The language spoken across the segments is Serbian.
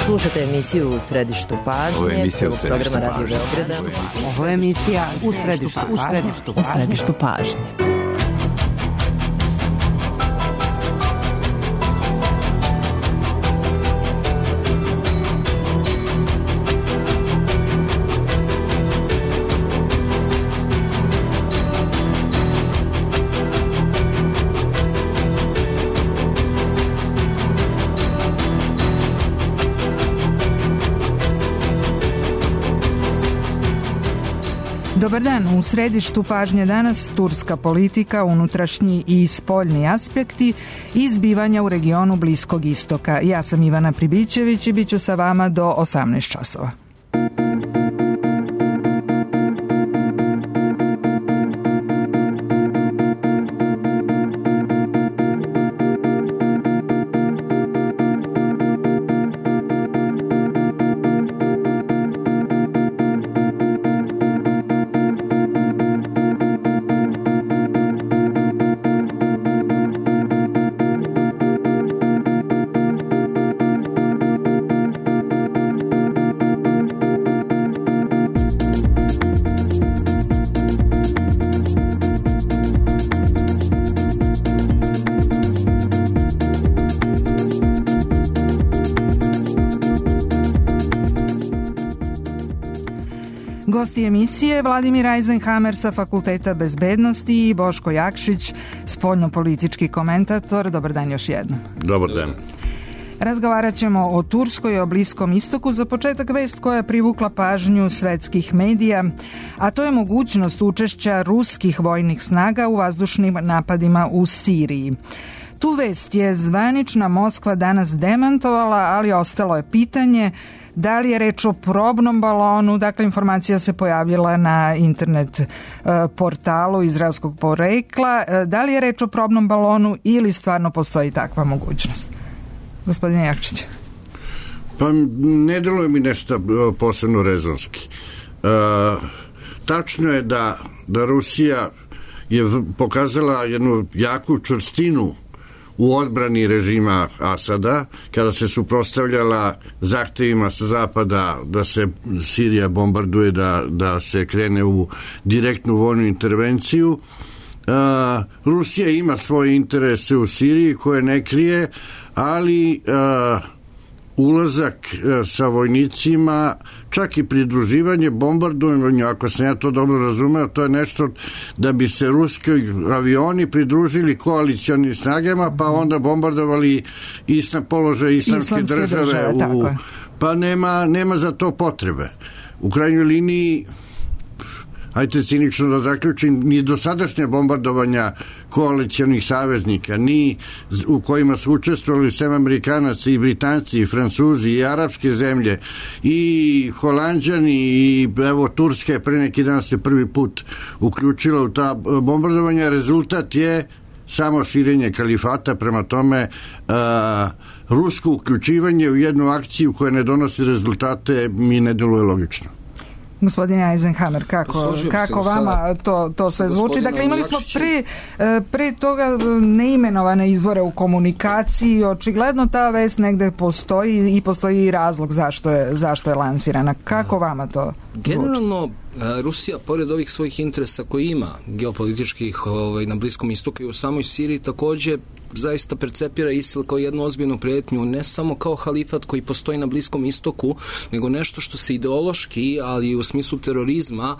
Slušate emisiju U središtu pažnje. Ovo je emisija U središtu programa Radio Beograda. Ovo je emisija U središtu pažnje. Dobar dan, u središtu pažnje danas turska politika, unutrašnji i spoljni aspekti i zbivanja u regionu Bliskog istoka. Ja sam Ivana Pribićević i bit ću sa vama do 18 časova. Gosti emisije Vladimir Eisenhammer sa Fakulteta bezbednosti i Boško Jakšić, spoljnopolitički komentator. Dobar dan još jednom. Dobar dan. Razgovarat ćemo o Turskoj i o Bliskom istoku. Za početak vest koja je privukla pažnju svetskih medija, a to je mogućnost učešća ruskih vojnih snaga u vazdušnim napadima u Siriji. Tu vest je zvanična Moskva danas demantovala, ali ostalo je pitanje da li je reč o probnom balonu. Dakle, informacija se pojavila na internet portalu izraelskog porekla. Da li je reč o probnom balonu ili stvarno postoji takva mogućnost? Gospodine Jakšić. Pa ne deluje mi nešto posebno rezonski. Tačno je da Rusija je pokazala jednu jaku čvrstinu u odbrani režima Asada, kada se suprotstavljala zahtevima sa zapada da se Sirija bombarduje, da se krene u direktnu vojnu intervenciju. Rusija ima svoje interese u Siriji koje ne krije, ali ulazak sa vojnicima, čak i pridruživanje bombardovanju, ako sam ja to dobro razumeo, to je nešto da bi se ruski avioni pridružili koalicionim snagama, pa onda bombardovali položaj islamske države. Pa nema za to potrebe. U krajnjoj liniji, ajte cinično da zaključim, ni dosadašnje bombardovanja koalicionih saveznika, ni u kojima su učestvovali sem Amerikanaca i Britanci i Francuzi i arapske zemlje i Holanđani i evo Turska je pre neki dan se prvi put uključila u ta bombardovanja. Rezultat je samo širenje kalifata, prema tome rusko uključivanje u jednu akciju koja ne donosi rezultate mi ne deluje logično. Gospodine Eisenhammer, kako vama to sve zvuči? Dakle, imali smo pre toga neimenovane izvore u komunikaciji. Očigledno ta vest negde postoji i postoji i razlog zašto je lansirana. Kako vama to zvuči? Generalno, Rusija, pored ovih svojih interesa koji ima geopolitičkih na Bliskom istoku i u samoj Siriji, takođe zaista percepira ISIL kao jednu ozbiljnu prijetnju, ne samo kao halifat koji postoji na Bliskom istoku, nego nešto što se ideološki, ali i u smislu terorizma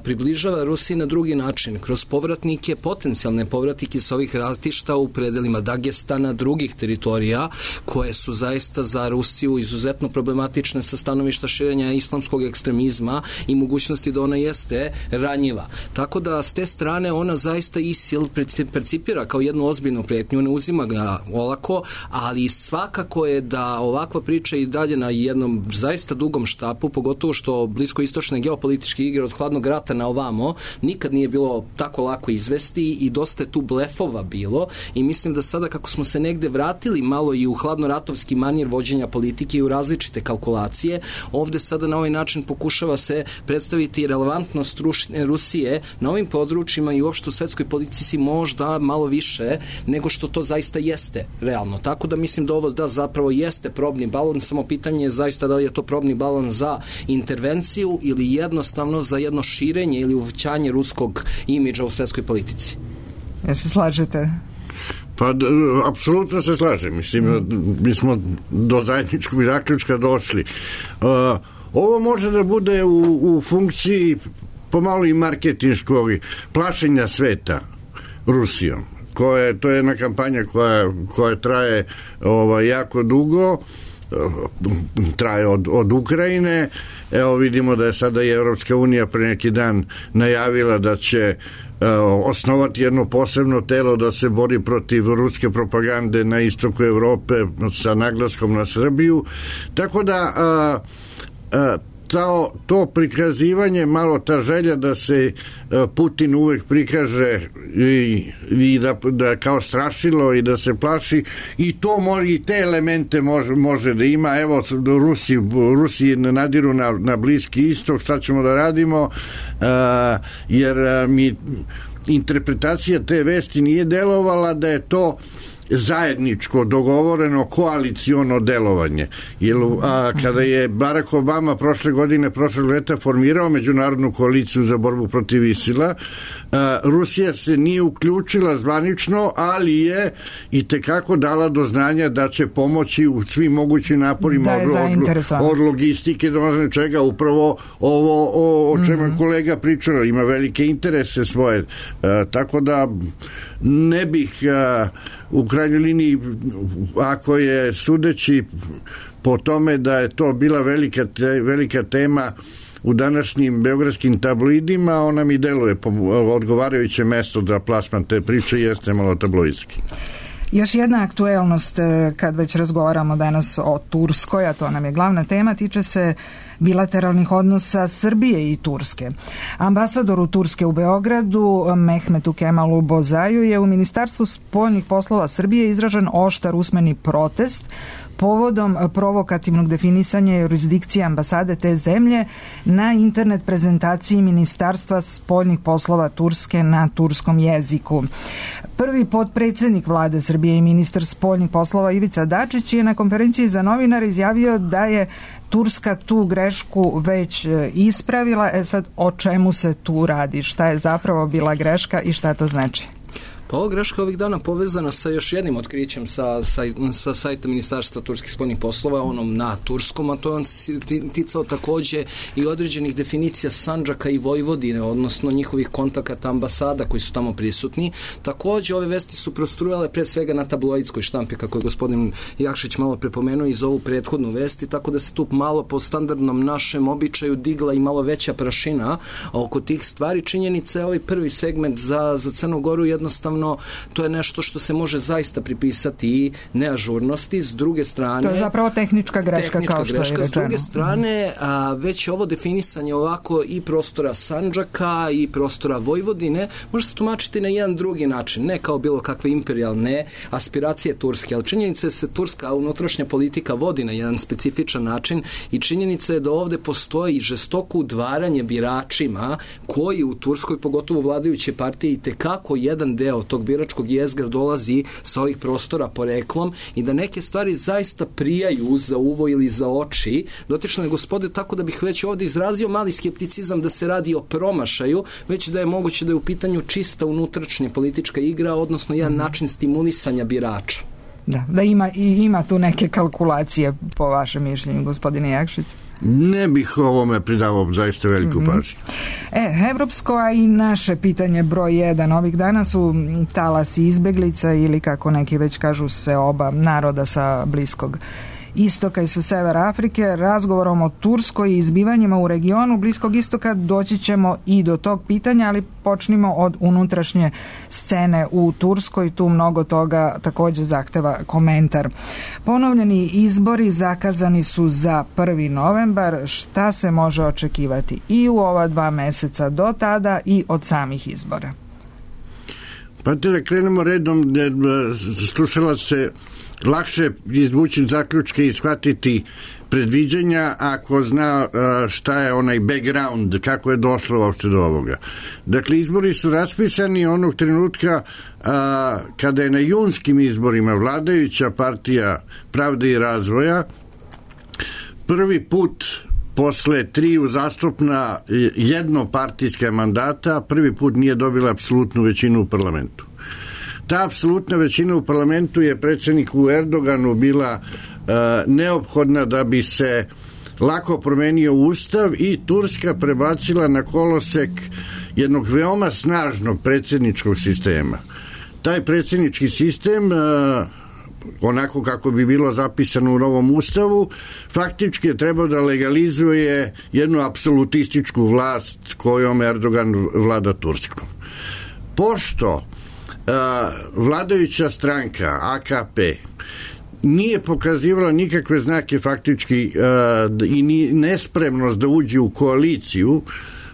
približava Rusiji na drugi način, kroz povratnike, potencijalne povratnike s ovih ratišta u predelima Dagestana, drugih teritorija, koje su zaista za Rusiju izuzetno problematične sa stanovišta širenja islamskog ekstremizma i mogućnosti da ona jeste ranjiva. Tako da s te strane ona zaista ISIL percipira kao jednu ozbiljnu prijetnju, ne uzima ga olako, ali svakako je da ovakva priča i dalje na jednom zaista dugom štapu, pogotovo što bliskoistočne geopolitičke igre od hladnog rata na ovamo nikad nije bilo tako lako izvesti i dosta je tu blefova bilo i mislim da sada kako smo se negde vratili malo i u hladnoratovski manir vođenja politike i u različite kalkulacije, ovde sada na ovaj način pokušava se predstaviti relevantnost Rusije na ovim područjima i uopšte u svetskoj politici možda malo više nego što što to zaista jeste realno. Tako da mislim da ovo zapravo jeste probni balon, samo pitanje je zaista da li je to probni balon za intervenciju ili jednostavno za jedno širenje ili uvećanje ruskog imidža u svetskoj politici. Ja se slažete? Pa, apsolutno se slažem. Mislim, mi smo do zajedničkog zaključka došli. Ovo može da bude u funkciji pomalo i marketinškog plašenja sveta Rusijom. To je jedna kampanja koja traje jako dugo, traje od Ukrajine. Evo vidimo da je sada i Evropska unija pre neki dan najavila da će osnovati jedno posebno telo da se bori protiv ruske propagande na istoku Evrope sa naglaskom na Srbiju. Tako da to prikazivanje, malo ta želja da se Putin uvek prikaže i da kao strašilo i da se plaši, i to može, i te elemente može da ima. Evo, Rusi nadiru na Bliski istok, šta ćemo da radimo, jer mi interpretacija te vesti nije delovala da je to zajedničko, dogovoreno, koaliciono delovanje. Kada je Barack Obama prošlog leta formirao međunarodnu koaliciju za borbu protiv ISIL-a, Rusija se nije uključila zvanično, ali je i tekako dala do znanja da će pomoći u svim mogućim naporima od logistike do čega, upravo ovo o čemu je kolega pričao, ima velike interese svoje, tako da ne bih u krajnjoj liniji, ako je sudeći po tome da je to bila velika tema u današnjim beogradskim tabloidima, ona mi deluje odgovarajuće mesto za plasman te priče, jeste malo tabloidski. Još jedna aktuelnost, kad već razgovaramo danas o Turskoj, a to nam je glavna tema, tiče se bilateralnih odnosa Srbije i Turske. Ambasadoru Turske u Beogradu, Mehmetu Kemalu Bozaju, je u Ministarstvu spoljnih poslova Srbije izražen oštar usmeni protest povodom provokativnog definisanja jurisdikcije ambasade te zemlje na internet prezentaciji Ministarstva spoljnih poslova Turske na turskom jeziku. Prvi potpredsednik vlade Srbije i ministar spoljnih poslova Ivica Dačić je na konferenciji za novinare izjavio da je Turska tu grešku već ispravila. Sad, o čemu se tu radi? Šta je zapravo bila greška i šta to znači? Pa ova greška ovih dana povezana sa još jednim otkrićem sa sajta Ministarstva turskih spoljnih poslova, onom na turskom, a to on se ticao takođe i određenih definicija Sandžaka i Vojvodine, odnosno njihovih kontakata ambasada koji su tamo prisutni. Takođe, ove vesti su prostrujale pre svega na tabloidskoj štampi, kako je gospodin Jakšić malo prepomenuo, iz ovu prethodnu vesti, tako da se tu malo po standardnom našem običaju digla i malo veća prašina oko tih stvari. Činjenica je ovaj prvi segment za Crnu Goru jednostavno to je nešto što se može zaista pripisati i neažurnosti. S druge strane... To je zapravo tehnička greška, kao što je rečeno. S druge strane, već ovo definisanje ovako i prostora Sandžaka i prostora Vojvodine može se tumačiti na jedan drugi način, ne kao bilo kakve imperijalne aspiracije Turske, ali činjenica je da se turska unutrašnja politika vodi na jedan specifičan način i činjenica je da ovde postoji žestoko udvaranje biračima koji u Turskoj, pogotovo vladajuće partije, i tekako jedan deo tog biračkog jezgra dolazi sa ovih prostora poreklom i da neke stvari zaista prijaju za uvo ili za oči dotične gospode, tako da bih već ovdje izrazio mali skepticizam da se radi o promašaju, već da je moguće da je u pitanju čista unutrašnja politička igra, odnosno jedan način stimulisanja birača. Da ima tu neke kalkulacije po vašem mišljenju, gospodine Jakšić? Ne bih ovome pridavao zaista veliku pažnju. Evropsko, a i naše pitanje broj 1 ovih dana su talasi izbeglica ili, kako neki već kažu, se oba naroda sa Bliskog istoka i sa severa Afrike. Razgovorom o Turskoj i izbivanjima u regionu Bliskog istoka doći ćemo i do tog pitanja, ali počnimo od unutrašnje scene u Turskoj. Tu mnogo toga takođe zahteva komentar. Ponovljeni izbori zakazani su za 1. novembar. Šta se može očekivati i u ova 2 meseca do tada i od samih izbora? Pa da krenemo redom, slušala se lakše izvući zaključke i shvatiti predviđanja ako zna šta je onaj background, kako je došlo uopšte do ovoga. Dakle, izbori su raspisani onog trenutka kada je na junskim izborima vladajuća partija Pravde i razvoja prvi put posle 3 uzastopna jednopartijska mandata prvi put nije dobila apsolutnu većinu u parlamentu. Ta apsolutna većina u parlamentu je predsjedniku Erdoganu bila neophodna da bi se lako promenio ustav i Turska prebacila na kolosek jednog veoma snažnog predsjedničkog sistema. Taj predsjednički sistem, onako kako bi bilo zapisano u novom ustavu, faktički je trebao da legalizuje jednu apsolutističku vlast kojom Erdogan vlada Turskom. Pošto vladajuća stranka AKP nije pokazivala nikakve znake faktički i nespremnost da uđe u koaliciju,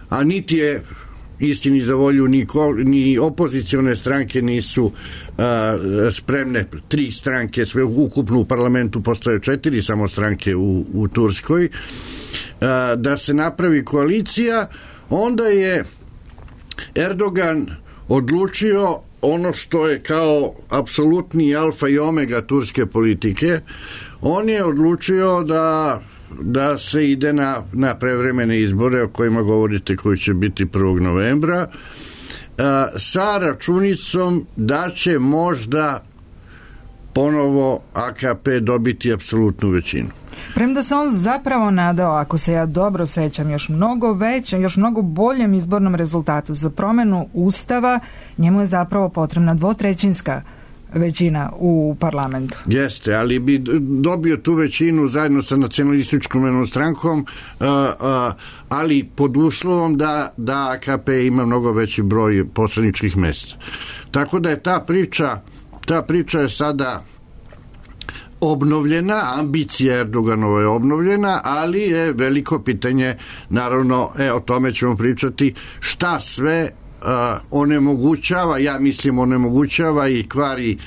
a niti je istini za volju ni opozicione stranke nisu spremne, 3 stranke sve ukupno u parlamentu, postoje 4 samo stranke u Turskoj, da se napravi koalicija, onda je Erdogan odlučio ono što je kao apsolutni alfa i omega turske politike. On je odlučio da se ide na prevremene izbore o kojima govorite, koji će biti 1. novembra, sa računicom da će možda ponovo AKP dobiti apsolutnu većinu. Premda se on zapravo nadao, ako se ja dobro sećam, još mnogo boljem izbornom rezultatu za promenu ustava, njemu je zapravo potrebna 2/3 većina u parlamentu. Jeste, ali bi dobio tu većinu zajedno sa nacionalističkom strankom, ali pod uslovom da AKP ima mnogo veći broj poslaničkih mesta. Tako da je ta priča je sada obnovljena, ambicija Erdoganova je obnovljena, ali je veliko pitanje, naravno, o tome ćemo pričati, šta sve onemogućava i kvari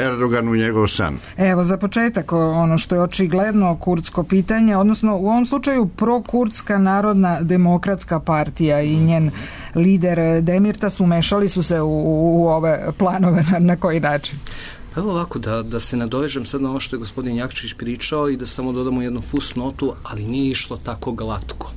Erdoganu njegov san. Evo, za početak, ono što je očigledno kurdsko pitanje, odnosno u ovom slučaju prokurdska narodna demokratska partija i njen lider Demirtas umešali su se u ove planove. Na koji način? Evo ovako, da se nadovežem sad na ovo što je gospodin Jakšić pričao i da samo dodamo jednu fusnotu, ali nije išlo tako glatko.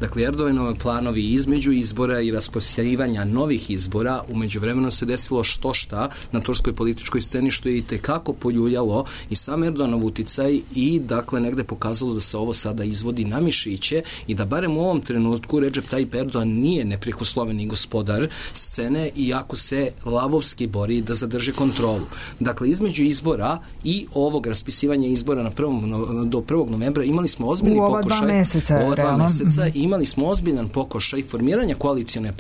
Dakle, Erdoganove planovi između izbora i raspisivanja novih izbora, u međuvremenu se desilo šta na turskoj političkoj sceni, što je i tekako poljuljalo i sam Erdoganov uticaj i dakle negde pokazalo da se ovo sada izvodi na mišiće i da barem u ovom trenutku Recep Tayyip Erdogan nije neprekosloveni gospodar scene, iako se lavovski bori da zadrži kontrolu. Dakle, između izbora i ovog raspisivanja izbora do 1. novembra imali smo ozbiljni pokušaj. U ova 2 meseca imali smo ozbiljan pokušaj formiranja koalicione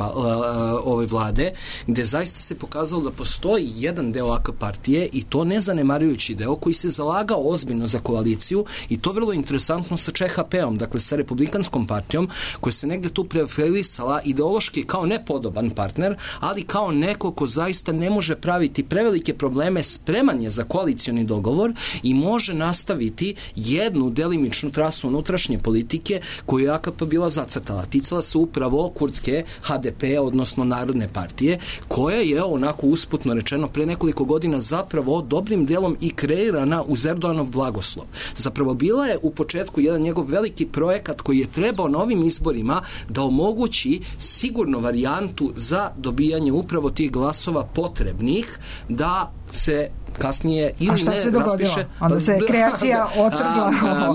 ove vlade, gde zaista se pokazalo da postoji jedan deo AK partije i to nezanemarujući deo koji se zalagao ozbiljno za koaliciju i to vrlo interesantno sa ČHP-om, dakle sa Republikanskom partijom, koja se negde tu preferisala ideološki kao nepodoban partner, ali kao neko ko zaista ne može praviti prevelike probleme, spreman je za koalicioni dogovor i može nastaviti jednu delimičnu trasu unutrašnje politike koju je AKP bila zacrtala. Ticala se upravo kurdske HDP, odnosno Narodne partije, koja je onako usputno rečeno pre nekoliko godina zapravo dobrim delom i kreirana uz Erdoganov blagoslov. Zapravo bila je u početku jedan njegov veliki projekat koji je trebao na ovim izborima da omogući sigurnu varijantu za dobijanje upravo tih glasova potrebnih da se kasnije ili ne raspiše. Onda se kreacija otrgla.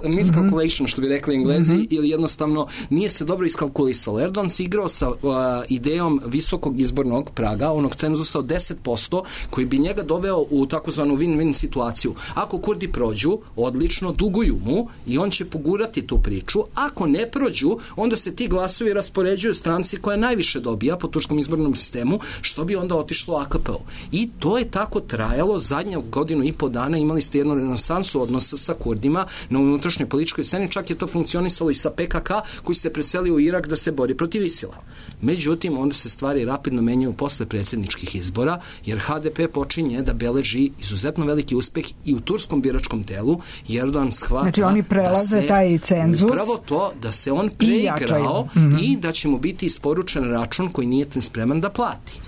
Miscalculation, što bi rekli Englezi, ili jednostavno nije se dobro iskalkulisalo. Erdogan se igrao sa idejom visokog izbornog praga, onog cenzusa od 10%, koji bi njega doveo u takozvanu win-win situaciju. Ako Kurdi prođu, odlično, duguju mu i on će pogurati tu priču. Ako ne prođu, onda se ti glasovi raspoređuju stranci koja najviše dobija po turskom izbornom sistemu, što bi onda otišlo AKP-u. I to je tako trajalo trajalo zadnju godinu i po dana, imali ste jednu renesansu odnosa sa Kurdima na unutrašnjoj političkoj sceni, čak je to funkcionisalo i sa PKK koji se preselio u Irak da se bori protiv ISIL-a. Međutim, onda se stvari rapidno menjaju posle predsjedničkih izbora, jer HDP počinje da beleži izuzetno veliki uspeh i u turskom biračkom telu, jer Erdogan shvata znači oni prelaze taj cenzus, upravo to da se on preigrao i da će mu biti isporučen račun koji nije spreman da plati.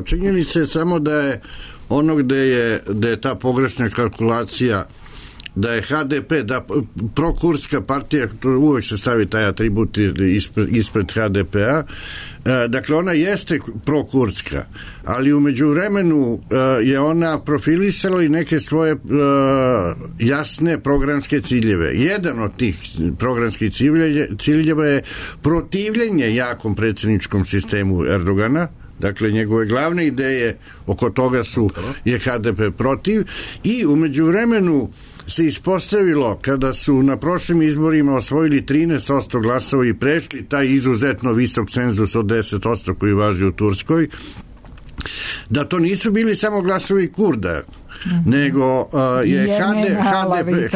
Činjenica je samo da je ono gde je ta pogrešna kalkulacija, da je HDP, da prokurdska partija, uvek se stavi taj atribut ispred HDP-a, dakle ona jeste prokurdska, ali u međuvremenu je ona profilisala i neke svoje jasne programske ciljeve. Jedan od tih programskih ciljeva je protivljenje jakom predsjedničkom sistemu Erdogana. Dakle, njegove glavne ideje oko toga je HDP protiv, i u međuvremenu se ispostavilo, kada su na prošlim izborima osvojili 13% glasova i prešli taj izuzetno visok cenzus od 10% koji važi u Turskoj, da to nisu bili samo glasovi Kurda, nego je HDP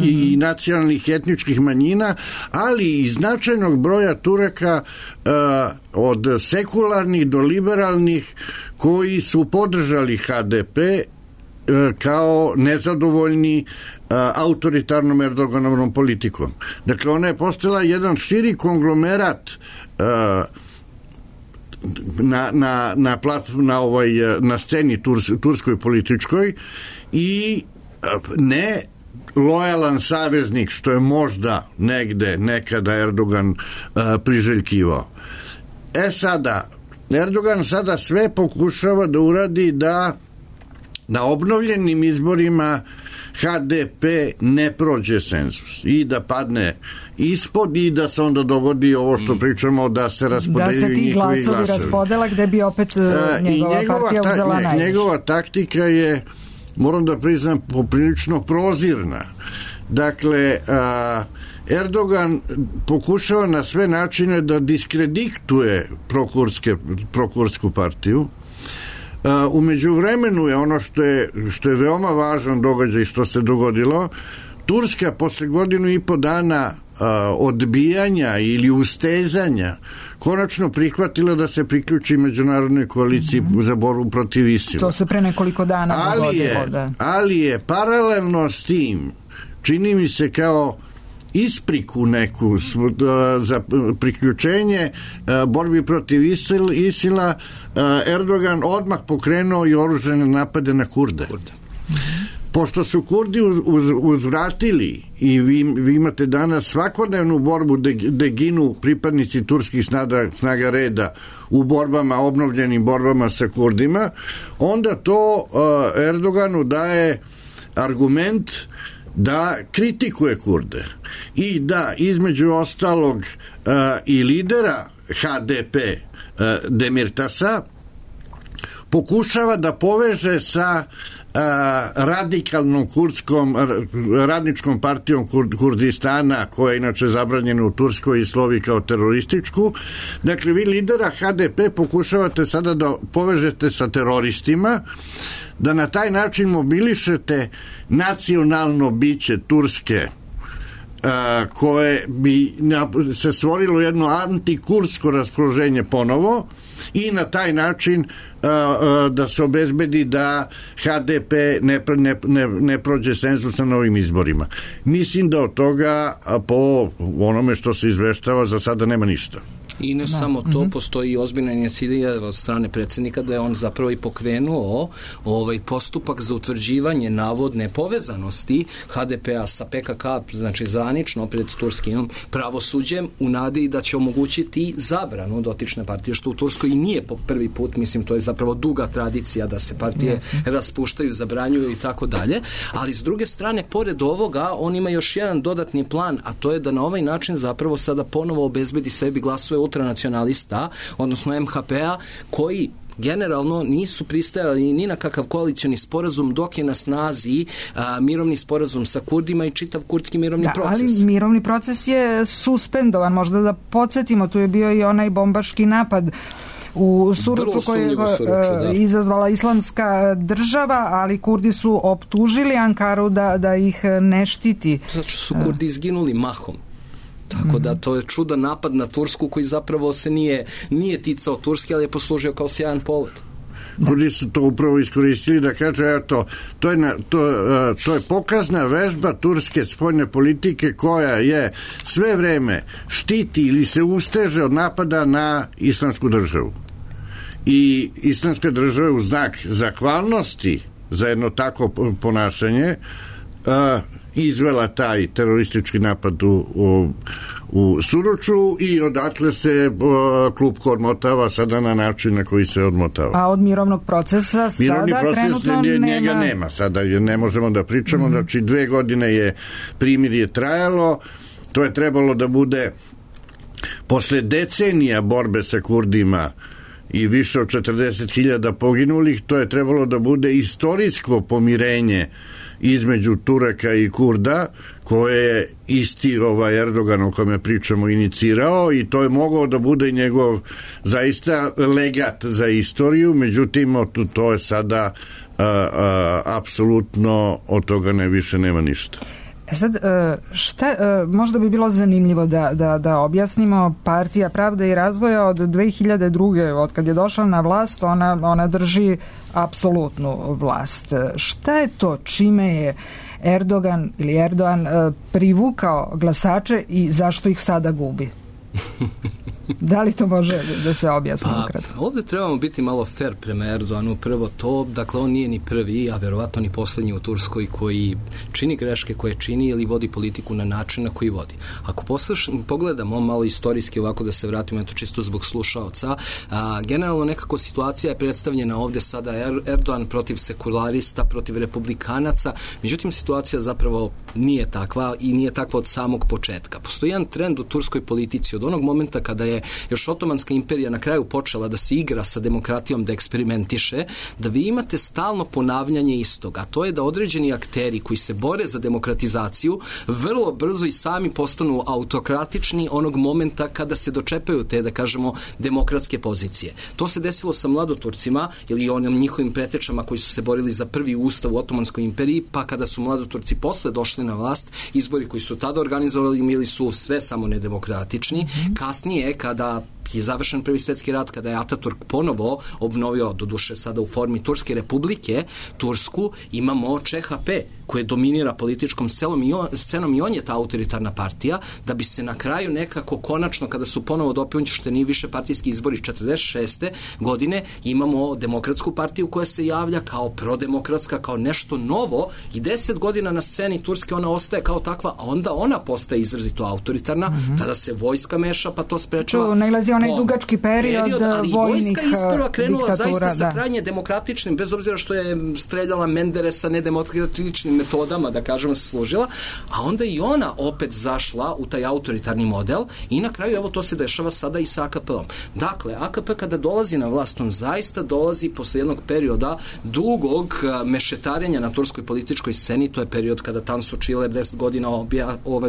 i nacionalnih etničkih manjina, ali i značajnog broja Turaka od sekularnih do liberalnih koji su podržali HDP kao nezadovoljni autoritarnom Erdoganovom politikom. Dakle, ona je postala jedan širi konglomerat na sceni turskoj političkoj i ne lojalan saveznik, što je možda negde nekada Erdogan priželjkivao. Sada Erdogan sve pokušava da uradi da na obnovljenim izborima HDP ne prođe cenzus i da padne ispod i da se onda dogodi ovo što pričamo, da se raspodeljuju njihovi glasovi. Da se ti glasovi raspodela gde bi opet njegova partija uzela najviše. Njegova taktika je, moram da priznam, poprilično prozirna. Dakle, Erdogan pokušava na sve načine da diskredituje prokurdsku partiju. U međuvremenu je ono što je veoma važan događaj što se dogodilo. Turska posle godinu i po dana odbijanja ili ustezanja konačno prihvatila da se priključi međunarodnoj koaliciji za borbu protiv ISIL-a. To se pre nekoliko dana dogodilo. Ali je paralelno s tim, čini mi se kao ispriku neku za priključenje borbi protiv ISIL-a, Erdogan odmah pokrenuo i oružane napade na Kurde. Pošto su Kurdi uzvratili i vi imate danas svakodnevnu borbu gde ginu pripadnici turskih snaga reda u obnovljenim borbama sa Kurdima, onda to Erdoganu daje argument da kritikuje Kurde i da između ostalog i lidera HDP Demirtasa pokušava da poveže sa radikalnom radničkom partijom Kurdistana, koja je inače zabranjena u Turskoj i slovi kao terorističku. Dakle, vi lidera HDP pokušavate sada da povežete sa teroristima, da na taj način mobilišete nacionalno biće Turske, koje bi se stvorilo jedno antikursko raspoloženje ponovo i na taj način da se obezbedi da HDP ne prođe cenzus na novim izborima. Mislim da od toga, po onome što se izveštava, za sada nema ništa. I ne samo to, postoji i ozbiljna inicijativa od strane predsjednika da je on zapravo i pokrenuo postupak za utvrđivanje navodne povezanosti HDP-a sa PKK, znači zvanično pred turskim pravosuđem, u nadi da će omogućiti zabranu dotične partije, što u Turskoj i nije po prvi put, mislim, to je zapravo duga tradicija da se partije raspuštaju, zabranjuju i tako dalje, ali s druge strane, pored ovoga, on ima još jedan dodatni plan, a to je da na ovaj način zapravo sada ponovo obezbedi sebi glasove ultranacionalista, odnosno MHP-a, koji generalno nisu pristajali ni na kakav koalicioni sporazum dok je na snazi mirovni sporazum sa Kurdima i čitav kurdski mirovni proces. Ali mirovni proces je suspendovan, možda da podsjetimo, tu je bio i onaj bombaški napad u Suruču koje je izazvala Islamska država, ali Kurdi su optužili Ankaru da ih ne štiti. Zato što su Kurdi izginuli mahom. Tako da to je čudan napad na Tursku koji zapravo se nije ticao Turske, ali je poslužio kao sjajan polet. Kurdi su to upravo iskoristili da kaže, eto, to je pokazna vežba turske spoljne politike koja je sve vreme štiti ili se usteže od napada na islamsku državu. I islamska država u znak zahvalnosti za jedno tako ponašanje izvela taj teroristički napad u Suruču i odatle se klupko odmotava sada na način na koji se odmotava. A od mirovnog procesa sada trenutno njega nema. Sada ne možemo da pričamo, znači 2 godine je primirje trajalo, to je trebalo da bude posle decenija borbe sa Kurdima i više od 40.000 poginulih, to je trebalo da bude istorijsko pomirenje između Turaka i Kurda, koje je isti Erdogan o kome pričamo inicirao, i to je mogao da bude njegov zaista legat za istoriju, međutim to je sada apsolutno od toga više nema ništa. Sad, možda bi bilo zanimljivo da objasnimo. Partija Pravde i razvoja od 2002. od kad je došla na vlast, ona drži apsolutnu vlast. Šta je to čime je Erdogan privukao glasače i zašto ih sada gubi? Da li to može da se objasni ukratko? Ovdje trebamo biti malo fair prema Erdoganu. Prvo to, dakle on nije ni prvi, a verovatno ni poslednji u Turskoj koji čini greške koje čini ili vodi politiku na način na koji vodi. Ako pogledamo malo istorijski, ovako da se vratimo, eto čisto zbog slušaoca, generalno nekako situacija je predstavljena ovdje sada Erdogan protiv sekularista, protiv republikanaca, međutim situacija zapravo nije takva i nije takva od samog početka. Postoji jedan trend u turskoj politici od onog momenta kada je još Otomanska imperija na kraju počela da se igra sa demokratijom, da eksperimentiše, da vi imate stalno ponavljanje istoga, a to je da određeni akteri koji se bore za demokratizaciju vrlo brzo i sami postanu autokratični onog momenta kada se dočepaju te, da kažemo, demokratske pozicije. To se desilo sa mladoturcima ili onim njihovim pretečama koji su se borili za prvi ustav u Otomanskoj imperiji, pa kada su mladoturci posle došli na vlast, izbori koji su tada organizovali bili su sve samo nedemokratični. Kasnije, kada je završen Prvi svjetski rat, kada je Ataturk ponovo obnovio, doduše sada u formi Turske republike, Tursku, imamo ČHP koje dominira političkom scenom i on je ta autoritarna partija, da bi se na kraju nekako konačno, kada su ponovo dopušteni više partijski izbori 46. godine, imamo demokratsku partiju koja se javlja kao prodemokratska, kao nešto novo, i 10 godina na sceni Turske ona ostaje kao takva, a onda ona postaje izrazito autoritarna, tada se vojska meša, pa to sprečava. Nailazi onaj dugački period ali vojnih vojska isprva krenula diktatura, zaista sa krajnje demokratičnim, bez obzira što je streljala Menderesa nedemokratičnim metodama, da kažemo, se služila, a onda i ona opet zašla u taj autoritarni model i na kraju, evo, to se dešava sada i sa AKP-om. Dakle, AKP kada dolazi na vlast, on zaista dolazi posle jednog perioda dugog mešetarenja na turskoj političkoj sceni. To je period kada Tansu Čiler 10 godina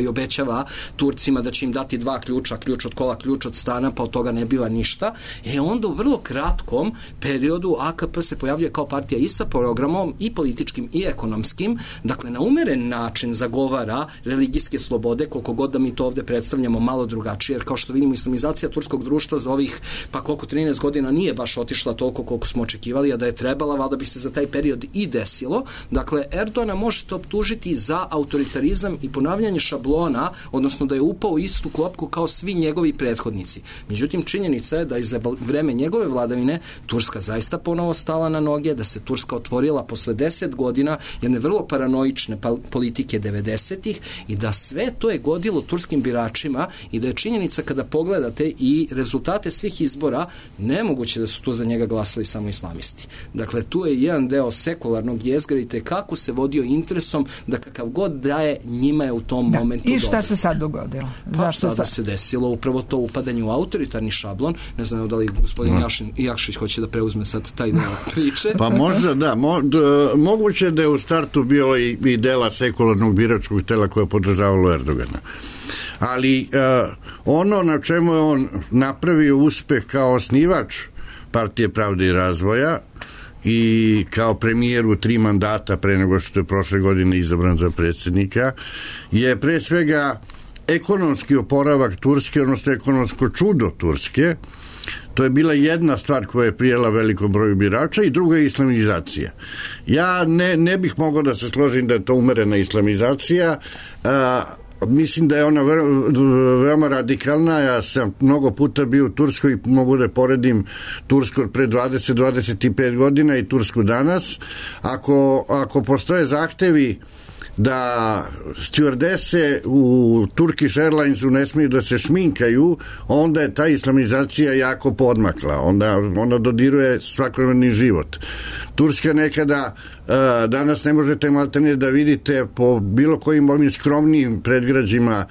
obećava Turcima da će im dati 2 ključa, ključ od kola, ključ od stana, pa od toga ne biva ništa. Onda u vrlo kratkom periodu AKP se pojavljuje kao partija i sa programom i političkim i ekonomskim, dakle na umeren način zagovara religijske slobode, koliko god da mi to ovdje predstavljamo malo drugačije, jer kao što vidimo, islamizacija turskog društva za ovih, pa koliko 13 godina nije baš otišla toliko koliko smo očekivali, a da je trebala, valjda bi se za taj period i desilo. Dakle, Erdogana možete optužiti za autoritarizam i ponavljanje šablona, odnosno da je upao u istu klopku kao svi njegovi prethodnici. Međutim, činjenica je da za vreme njegove vladavine Turska zaista ponovo stala na noge, da se Turska otvorila posle 10 godina jedne vrlo paranoične politike 90-ih i da sve to je godilo turskim biračima i da je činjenica kada pogledate i rezultate svih izbora, nemoguće da su tu za njega glasali samo islamisti. Dakle, tu je jedan deo sekularnog jezgra i kako se vodio interesom da kakav god daje, njima je u tom momentu i šta dobro. Se sad dogodilo? Zašto sada se desilo upravo to upadanje u autoritarni šablon. Ne znam da li gospodin Jakšić hoće da preuzme sad taj deo priče. Pa možda da. Moguće da je u startu bilo i dela sekularnog biračkog tela koje je podržavalo Erdogana. Ali ono na čemu je on napravio uspeh kao osnivač Partije pravde i razvoja i kao premijer u 3 mandata pre nego što je prošle godine izabran za predsjednika, je pre svega ekonomski oporavak Turske, odnosno ekonomsko čudo Turske. To je bila jedna stvar koja je prijela velikom broju birača i druga je islamizacija. Ja ne bih mogao da se složim da je to umerena islamizacija. Mislim da je ona veoma radikalna. Ja sam mnogo puta bio u Turskoj i mogu da poredim Tursku od pre 20-25 godina i Tursku danas. Ako postoje zahtevi da stjuardese u Turkish Airlinesu ne smiju da se šminkaju, onda je ta islamizacija jako podmakla. Onda dodiruje svakodnevni život. Turska nekada, danas ne možete maltene da vidite po bilo kojim ovim skromnijim predgrađima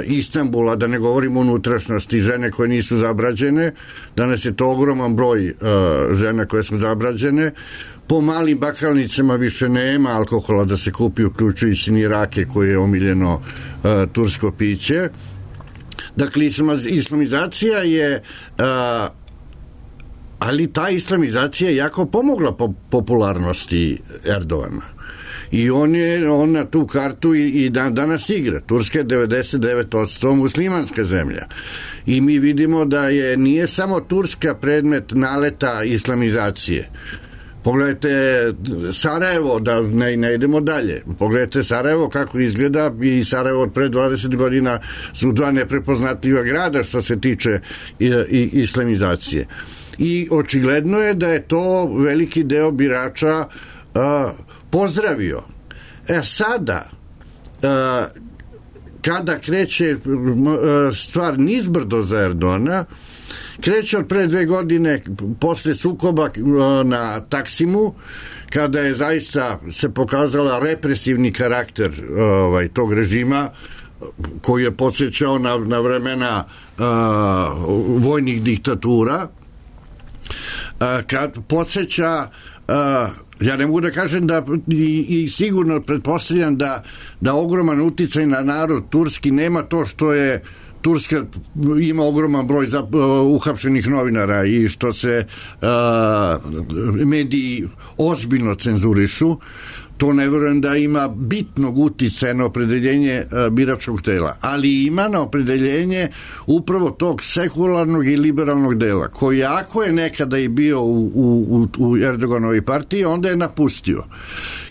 Istanbula, da ne govorimo o unutrašnjosti, žene koje nisu zabrađene. Danas je to ogroman broj žena koje su zabrađene. Po malim bakalnicama više nema alkohola da se kupi, uključujući ni rake koje je omiljeno tursko piće. Dakle, islamizacija je ali ta islamizacija je jako pomogla popularnosti Erdogana. I on na tu kartu i danas igra. Turska je 99% muslimanska zemlja. I mi vidimo da nije samo Turska predmet naleta islamizacije. Pogledajte Sarajevo, da ne idemo dalje. Pogledajte Sarajevo kako izgleda, i Sarajevo od pre 20 godina su 2 neprepoznatljiva grada što se tiče islamizacije. I očigledno je da je to veliki deo birača pozdravio. Sada, kada kreće stvar nizbrdo za Erdogana, kreće od pre 2 godine posle sukoba na Taksimu, kada je zaista se pokazala represivni karakter tog režima, koji je podsjećao na vremena vojnih diktatura, kad podsjeća, ja ne mogu da kažem da i sigurno pretpostavljam da ogroman uticaj na narod turski nema to što je Turska ima ogroman broj uhapšenih novinara i što se mediji ozbiljno cenzurišu. To ne verujem da ima bitnog uticaja na opredeljenje biračkog tela, ali ima na opredeljenje upravo tog sekularnog i liberalnog dela, koji ako je nekada i bio u Erdoganovoj partiji, onda je napustio.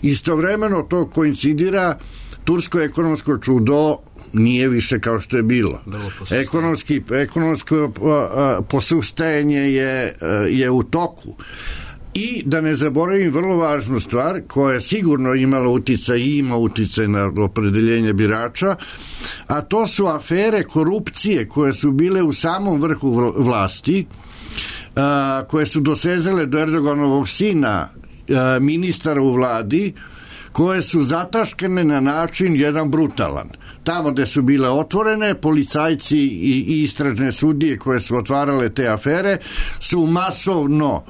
Istovremeno to koincidira, tursko ekonomsko čudo nije više kao što je bilo. Ekonomsko posustajanje je u toku. I da ne zaboravim vrlo važnu stvar koja je sigurno imala uticaj i ima uticaj na opredeljenje birača, a to su afere korupcije koje su bile u samom vrhu vlasti, koje su dosezale do Erdoganovog sina, ministara u vladi, koje su zataškane na način jedan brutalan. Tamo gde su bile otvorene, policajci i istražne sudije koje su otvarale te afere su masovno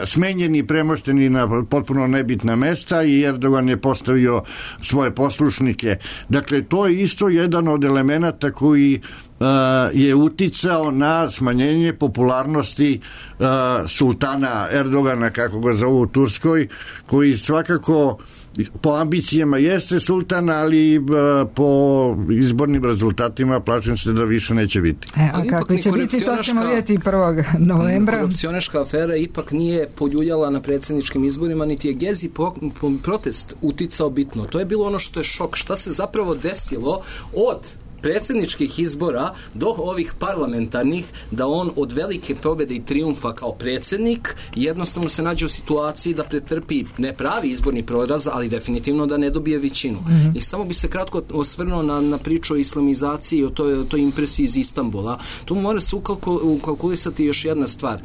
smenjeni, premošteni na potpuno nebitna mesta i Erdogan je postavio svoje poslušnike. Dakle, to je isto jedan od elemenata koji je uticao na smanjenje popularnosti sultana Erdogana, kako ga zovu u Turskoj, koji svakako po ambicijama jeste sultan, ali po izbornim rezultatima plašim se da više neće biti. A kako će biti, to ćemo vidjeti 1. novembra. Korupcionaška afera ipak nije poljuljala na predsjedničkim izborima, niti je Gezi protest uticao bitno. To je bilo ono što je šok. Šta se zapravo desilo od predsjedničkih izbora do ovih parlamentarnih, da on od velike pobjede i trijumfa kao predsjednik jednostavno se nađe u situaciji da pretrpi ne pravi izborni poraz, ali definitivno da ne dobije većinu. I samo bi se kratko osvrnuo na priču o islamizaciji i o toj impresiji iz Istanbula. Tu mora se ukalkulisati još jedna stvar,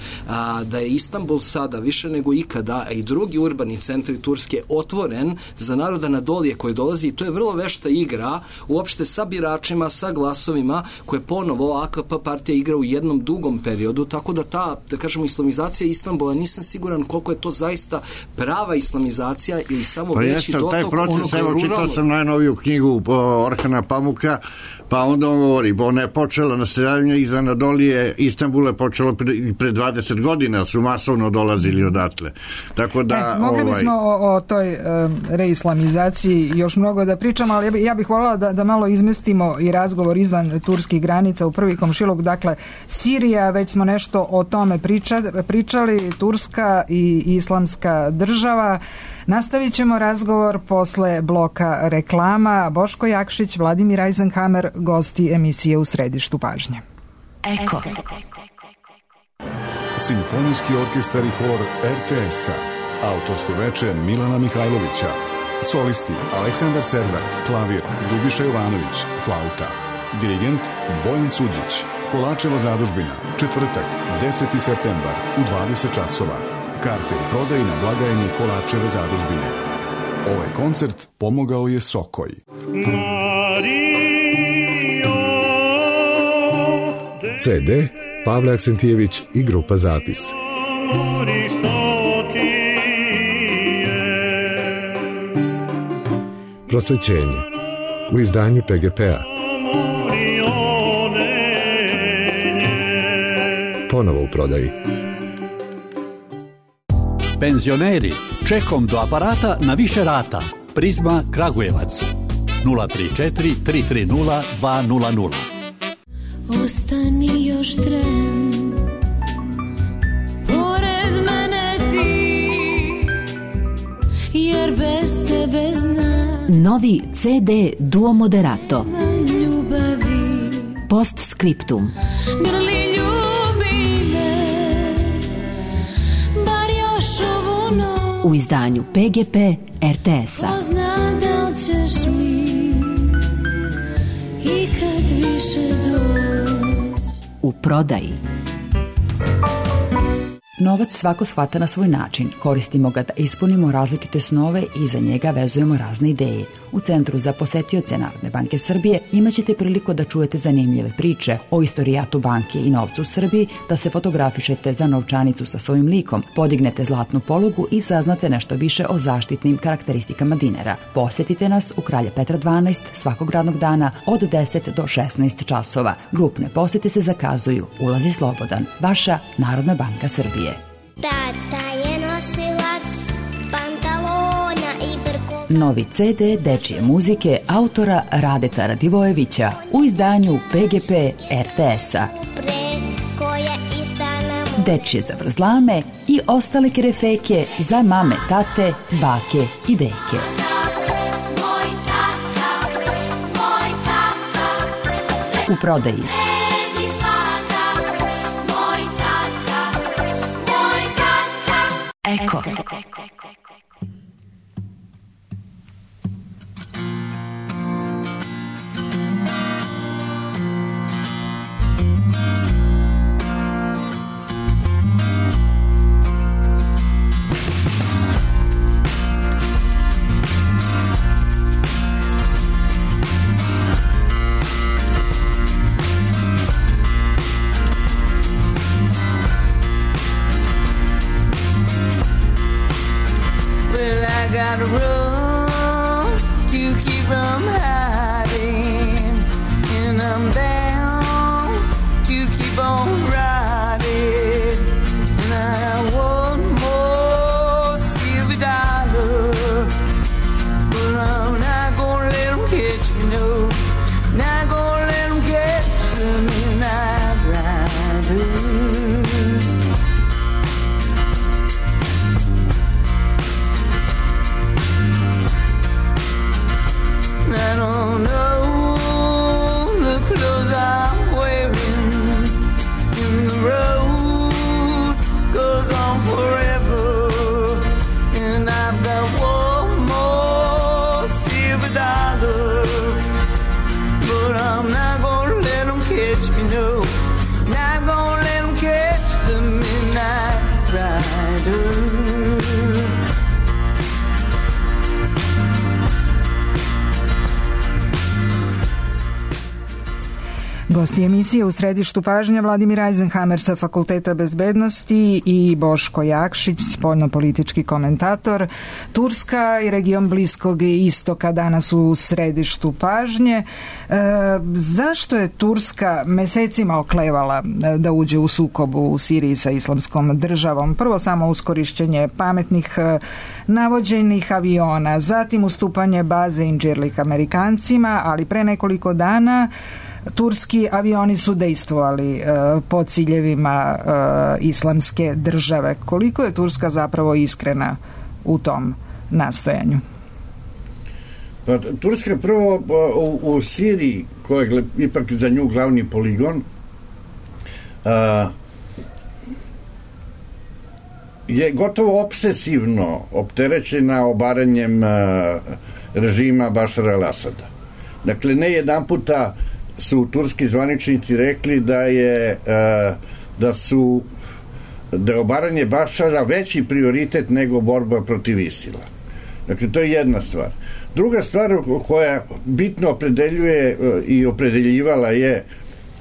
da je Istanbul sada više nego ikada, a i drugi urbani centri Turske otvoren za naroda Anadolije koji dolazi, i to je vrlo vešta igra uopšte sa biračima, glasovima sa glasovima koje ponovo AKP partija igra u jednom dugom periodu, tako da ta, da kažemo, islamizacija Istanbula, nisam siguran koliko je to zaista prava islamizacija ili samo veći dotok onog ruralnog. Evo, čitao sam najnoviju knjigu Orhana Pamuka, pa onda on govori, ona je počela naseljavanje iz Anadolije, Istanbul je počelo pre 20 godina, su masovno dolazili odatle. Tako da... mogli bismo o toj reislamizaciji još mnogo da pričamo, ali ja bih voljela da malo izmestimo i razgovor izvan turskih granica u prvi komšiluk. Dakle, Sirija, već smo nešto o tome pričali, Turska i Islamska država. Nastavit ćemo razgovor posle bloka reklama. Boško Jakšić, Vladimir Eisenhammer, gosti emisije U središtu pažnje. Eko. Simfonijski orkestar i hor RTS-a. Autorsko veče Milana Mihajlovića. Solisti Aleksandar Server, klavir Ljubiša Jovanović, flauta. Dirigent Bojan Suđić. Kolačeva zadužbina, četvrtak, 10. septembar u 20 časova. Karte u prodaji na blagajni Kolačeve zadužbine. Ovaj koncert pomogao je Sokoj. CD Pavle Aksentijević i grupa Zapis. Prosvećenje u izdanju PGP-a. Ponovo u prodaji. Penzioneri, čekom do aparata na više rata. Prizma Kragujevac 034 330 200. Ostani još tren, pored mene ti, jer bez tebe znam. Novi CD Duo Moderato. Ljubavi. Postscriptum. Grli ljubi me, bar još ovu noć. U izdanju PGP RTS-a. Pozna da li ćeš mi i kad više doći. U prodaji. Novac svako shvata na svoj način. Koristimo ga da ispunimo različite snove i za njega vezujemo razne ideje. U Centru za posetioce Narodne banke Srbije imaćete priliku da čujete zanimljive priče o istorijatu banke i novcu u Srbiji, da se fotografišete za novčanicu sa svojim likom, podignete zlatnu polugu i saznate nešto više o zaštitnim karakteristikama dinara. Posetite nas u Kralja Petra 12 svakog radnog dana od 10 do 16 časova. Grupne posete se zakazuju. Ulaz je slobodan. Vaša Narodna banka Srbije. Tata je nosilac pantalona i brkova. Novi CD dečije muzike autora Radeta Radivojevića u izdanju PGP RTS-a. Dečije zavrzlame i ostale kerefeke za mame, tate, bake i deke. U prodaji. Eko. Gotta run to keep from hiding, and I'm down to keep on riding, and I want more silver dollar, but I'm not gonna let them catch me, no, not gonna let them catch the midnight rider. I don't Gosti emisije u središtu pažnje Vladimir Eisenhammer sa Fakulteta bezbednosti i Boško Jakšić, spoljnopolitički komentator. Turska i region Bliskog istoka danas u središtu pažnje. Zašto je Turska mesecima oklevala da uđe u sukob u Siriji sa Islamskom državom? Prvo samo uz korišćenje pametnih navođenih aviona, zatim ustupanje baze Inđirlik Amerikancima, ali pre nekoliko dana turski avioni su dejstvovali po ciljevima Islamske države. Koliko je Turska zapravo iskrena u tom nastojanju? Pa, Turska prvo u Siriji, koja je ipak za nju glavni poligon, je gotovo obsesivno opterećena obaranjem režima Bašara al-Asada. Dakle, ne jedan puta su turski zvaničnici rekli da je obaranje Bašara veći prioritet nego borba protiv ISIL-a. Dakle, to je jedna stvar. Druga stvar koja bitno opredeljuje i opredeljivala je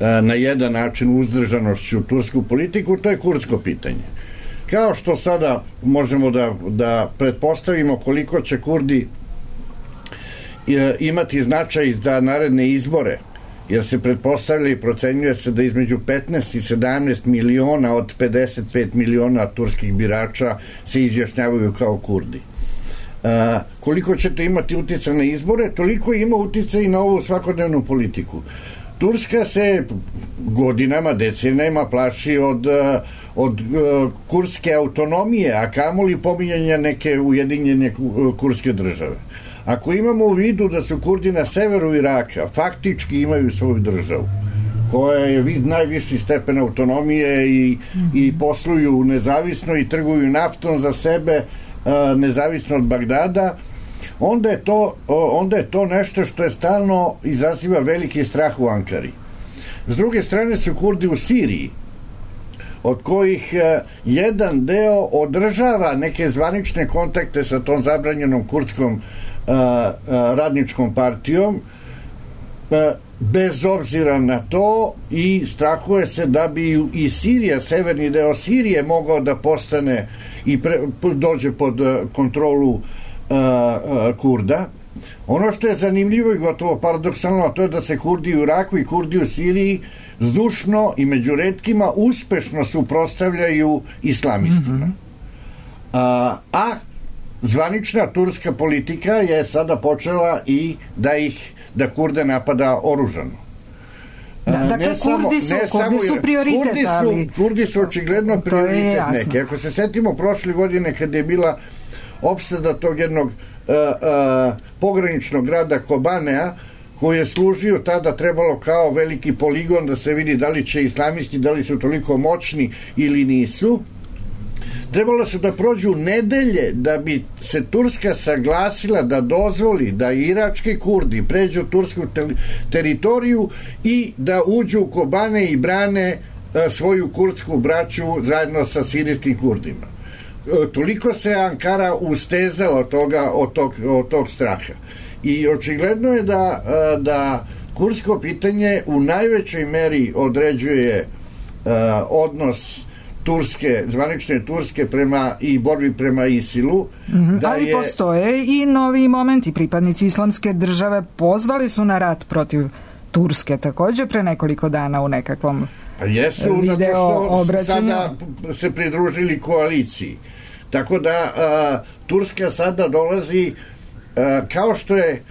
na jedan način uzdržanošću tursku politiku, to je kurdsko pitanje. Kao što sada možemo da pretpostavimo koliko će Kurdi imati značaj za naredne izbore, jer se pretpostavlja i procenjuje se da između 15 i 17 miliona od 55 miliona turskih birača se izjašnjavaju kao Kurdi. Koliko ćete imati uticaj na izbore, toliko ima uticaj i na ovu svakodnevnu politiku. Turska se godinama, decenijama plaši od kurdske autonomije, a kamoli pominjanja neke ujedinjene kurdske države. Ako imamo u vidu da su Kurdi na severu Iraka faktički imaju svoju državu, koja je najviši stepen autonomije i posluju nezavisno i trguju naftom za sebe, nezavisno od Bagdada, onda je to nešto što je stalno izaziva veliki strah u Ankari. S druge strane su Kurdi u Siriji, od kojih jedan deo održava neke zvanične kontakte sa tom zabranjenom kurdskom radničkom partijom, bez obzira na to, i strahuje se da bi i Sirija, severni deo Sirije, mogao da postane i dođe pod kontrolu Kurda. Ono što je zanimljivo i gotovo paradoksalno, to je da se Kurdi u Iraku i Kurdi u Siriji zdušno i među retkima uspešno suprotstavljaju islamistima. A zvanična turska politika je sada počela i da Kurde napada oružano. Dakle, Kurdi su prioritet, Kurdi su očigledno prioritet neki. Ako se setimo prošle godine kada je bila opsada tog jednog pograničnog grada Kobanea, koji je služio tada, trebalo kao veliki poligon da se vidi da li će islamisti, da li su toliko moćni ili nisu. Trebalo se da prođu nedelje da bi se Turska saglasila da dozvoli da irački Kurdi pređu tursku teritoriju i da uđu u Kobane i brane svoju kurdsku braću zajedno sa sirijskim Kurdima. Toliko se Ankara ustezala od tog straha. I očigledno je da kurdsko pitanje u najvećoj meri određuje odnos Turske, zvanične Turske i borbi prema ISIL-u. Ali postoje i novi momenti. Pripadnici Islamske države pozvali su na rat protiv Turske također pre nekoliko dana u nekakvom video obraćanju. Sada se pridružili koaliciji. Tako da Turska sada dolazi, kao što je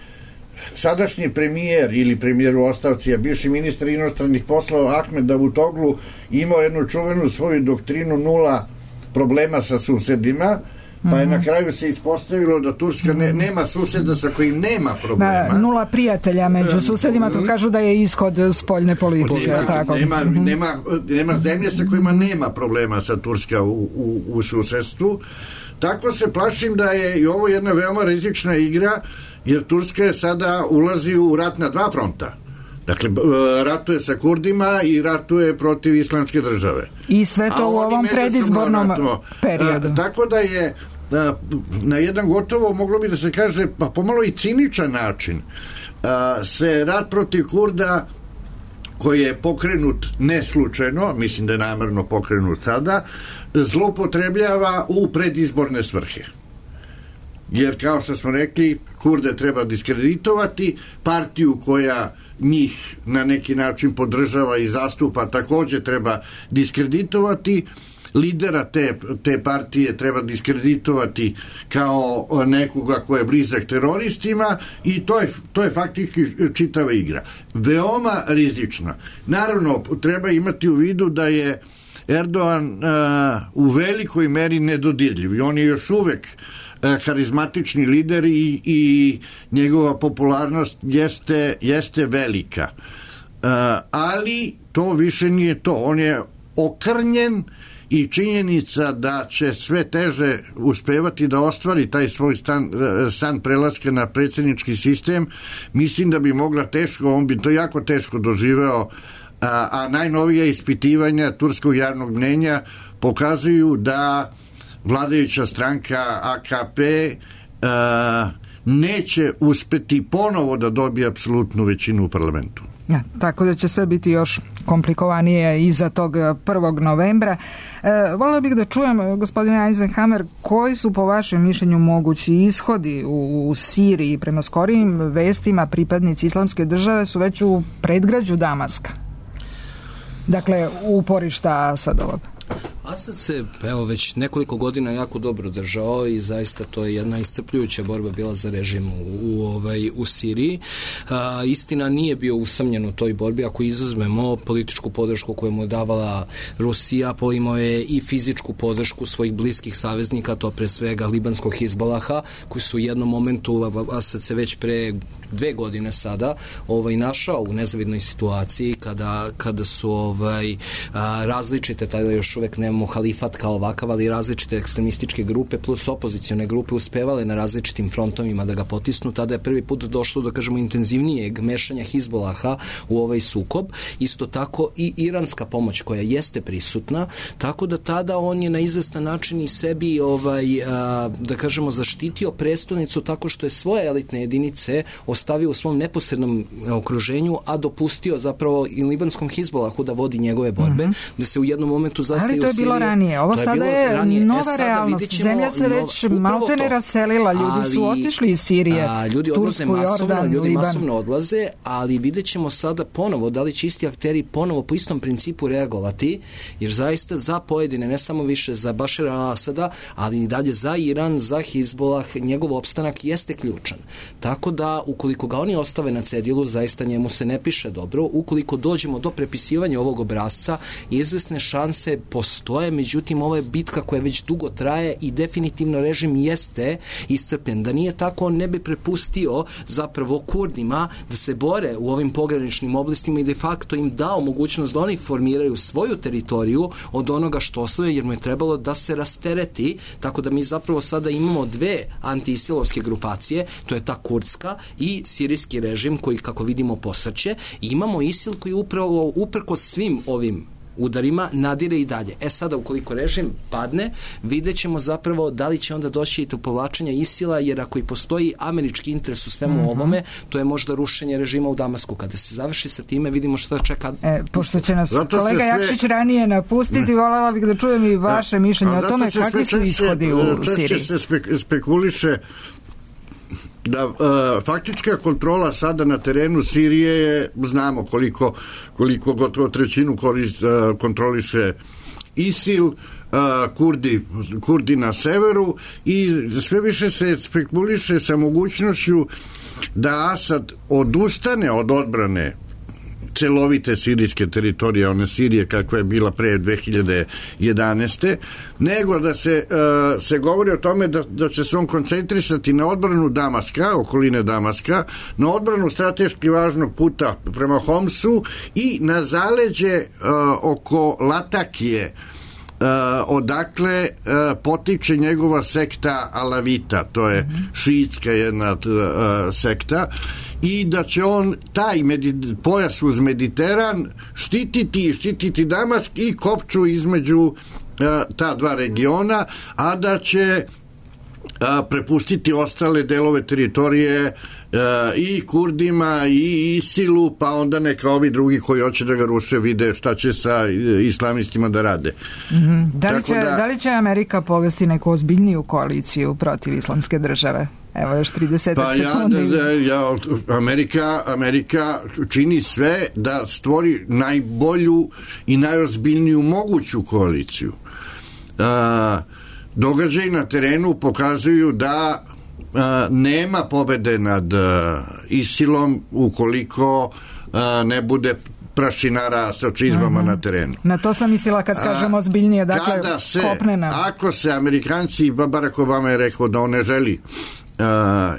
sadašnji premijer ili premijer u ostavci, a bivši ministar inostranih poslova Ahmed Davutoglu imao jednu čuvenu svoju doktrinu nula problema sa susedima, pa je na kraju se ispostavilo da Turska nema suseda sa kojim nema problema. Nula prijatelja među susedima, to kažu da je ishod spoljne politike. Nema zemlje sa kojima nema problema sa Turska u susedstvu. Tako se plašim da je i ovo jedna veoma rizična igra, jer Turska je sada ulazi u rat na dva fronta. Dakle, ratuje sa Kurdima i ratuje protiv Islamske države. I sve to u ovom predizbornom periodu. Tako da je na jedan gotovo, moglo bi da se kaže, pa pomalo i ciničan način, se rat protiv Kurda koji je pokrenut neslučajno, mislim da je namerno pokrenut sada, zloupotrebljava u predizborne svrhe. Jer, kao što smo rekli, Kurde treba diskreditovati, partiju koja njih na neki način podržava i zastupa takođe treba diskreditovati, lidera te partije treba diskreditovati kao nekoga ko je blizak teroristima i to je faktički čitava igra. Veoma rizična. Naravno, treba imati u vidu da je Erdogan u velikoj meri nedodirljiv i on je još uvek harizmatični lider i njegova popularnost jeste velika. Ali to više nije to. On je okrnjen i činjenica da će sve teže uspevati da ostvari taj svoj san prelaska na predsjednički sistem, mislim da bi mogla teško, on bi to jako teško doživeo, a najnovija ispitivanja turskog javnog mnjenja pokazuju da vladajuća stranka AKP neće uspeti ponovo da dobije apsolutnu većinu u parlamentu. Ja, tako da će sve biti još komplikovanije iza tog 1. novembra. Volila bih da čujem, gospodine Eisenhammer, koji su po vašem mišljenju mogući ishodi u Siriji? Prema skorijim vestima pripadnici Islamske države su već u predgrađu Damaska. Dakle, uporišta Asadovog. Asad se već nekoliko godina jako dobro držao i zaista to je jedna iscrpljujuća borba bila za režim u Siriji. Istina, nije bio usamljen u toj borbi, ako izuzmemo političku podršku koju mu je davala Rusija, imao je i fizičku podršku svojih bliskih saveznika, to pre svega libanskog Hizbalaha, koji su u jednom momentu, Asad se već pre 2 godine sada našao u nezavidnoj situaciji kada su različite, tada još uvek nemamo halifat kao ovakav, ali različite ekstremističke grupe plus opozicione grupe uspevale na različitim frontovima da ga potisnu. Tada je prvi put došlo do, kažemo, intenzivnijeg mešanja Hizbolaha u ovaj sukob. Isto tako i iranska pomoć koja jeste prisutna, tako da tada on je na izvestan način i sebi da kažemo zaštitio prestolnicu tako što je svoje elitne jedinice ostavio u svom neposrednom okruženju, a dopustio zapravo i libanskom Hizbolahu da vodi njegove borbe, da se u jednom momentu zastaju. Ali to je bilo ranije. Ovo sada je nova realnost. Zemlja se već maltene raselila. Ljudi su otišli iz Sirije. Ljudi odlaze masovno, ljudi masovno odlaze, ali vidjet ćemo sada ponovo da li će isti akteri ponovo po istom principu reagovati, jer zaista za pojedine, ne samo više za Bašara al-Asada, ali i dalje za Iran, za Hizbolah, njegov opstanak jeste ključan. Tako da, ukoliko ga oni ostave na cedilu, zaista njemu se ne piše dobro. Ukoliko dođemo do prepisivanja ovog obrasca, izvesne šanse postoje, međutim ovo je bitka koja već dugo traje i definitivno režim jeste iscrpljen. Da nije tako, on ne bi prepustio zapravo Kurdima da se bore u ovim pograničnim oblastima i de facto im dao mogućnost da oni formiraju svoju teritoriju od onoga što ostaje, jer mu je trebalo da se rastereti, tako da mi zapravo sada imamo 2 anti-isilovske grupacije, to je ta kurdska i sirijski režim koji, kako vidimo, posrće, i imamo ISIL koji upravo uprkos svim ovim udarima nadire i dalje. Sada, ukoliko režim padne, vidjet ćemo zapravo da li će onda doći i do povlačenja ISIL-a, jer ako i postoji američki interes u svemu ovome, to je možda rušenje režima u Damasku. Kada se završi sa time, vidimo šta čeka. Pošto će nas kolega Jakšić ranije napustiti, voljela bih da čujem i vaše mišljenje o tome kakvi su ishodi u Siriji. Se spekuliše da faktička kontrola sada na terenu Sirije je, znamo koliko gotovo trećinu kontroliše ISIL, Kurdi na severu, i sve više se spekuliše sa mogućnošću da Asad odustane od odbrane celovite sirijske teritorije, one Sirije kakva je bila pre 2011. nego da se govori o tome da će se on koncentrisati na odbranu Damaska, okoline Damaska, na odbranu strateški važnog puta prema Homsu i na zaleđe oko Latakije, odakle potiče njegova sekta Alavita, to je šiitska jedna sekta, i da će on taj pojas uz Mediteran štititi Damask i kopču između ta dva regiona, a da će prepustiti ostale delove teritorije i Kurdima i ISIL-u, pa onda neka ovi drugi koji hoće da ga ruše vide šta će sa islamistima da rade. Da li će Amerika povesti neku ozbiljniju koaliciju protiv islamske države? Evo još 30 sekundi. Amerika čini sve da stvori najbolju i najozbiljniju moguću koaliciju. Događaji na terenu pokazuju da nema pobede nad ISIL-om ukoliko ne bude prašinara sa čizmama na terenu. Na to sam mislila kad kažemo ozbiljnije, dakle kopnena. Ako se Amerikanci, Barack Obama je rekao da on ne želi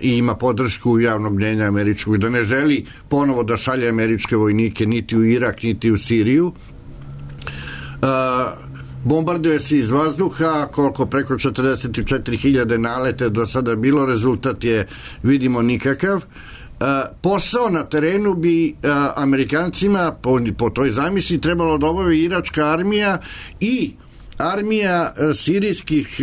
i ima podršku javnog mnjenja američkog, da ne želi ponovo da šalje američke vojnike niti u Irak, niti u Siriju. Bombarduje se iz vazduha, koliko preko 44.000 nalete do sada bilo, rezultat je, vidimo, nikakav. Posao na terenu bi Amerikancima po toj zamisli trebalo da obavi iračka armija i armija sirijskih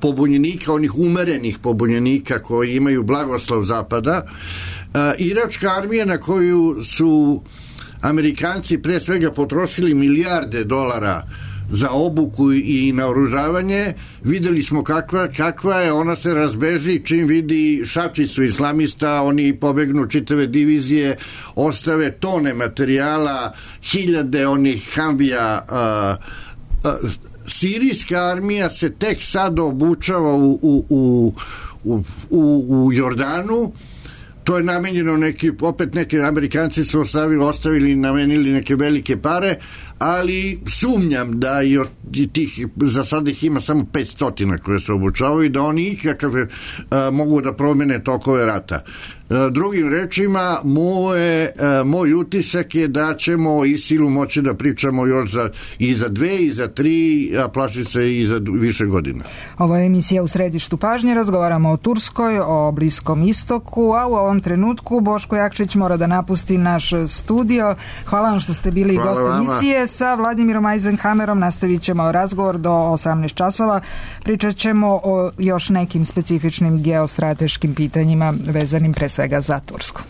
pobunjenika, onih umerenih pobunjenika koji imaju blagoslov Zapada. Iračka armija na koju su Amerikanci pre svega potrošili milijarde dolara za obuku i naoružavanje, videli smo kakva je, ona se razbeži čim vidi šačicu islamista, oni pobegnu čitave divizije, ostave tone materijala, hiljade onih Humvija. Sirijska armija se tek sad obučava u Jordanu. To je namenjeno neki Amerikanci su ostavili i namenili neke velike pare, ali sumnjam da i tih, za sada ih ima samo 500 koje se obučavaju i da oni ikakav mogu da promene tokove rata. Drugim rečima, moj utisak je da ćemo o ISIL-u moći da pričamo još i za 2, i za 3, a plaši se i za više godina. Ovo je emisija U središtu pažnje, razgovaramo o Turskoj, o Bliskom istoku, a u ovom trenutku Boško Jakšić mora da napusti naš studio. Hvala vam što ste bili gost emisije. Sa Vladimirom Eisenhammerom nastavit ćemo razgovor do 18 časova. Pričat ćemo o još nekim specifičnim geostrateškim pitanjima vezanim pre svega za Tursku.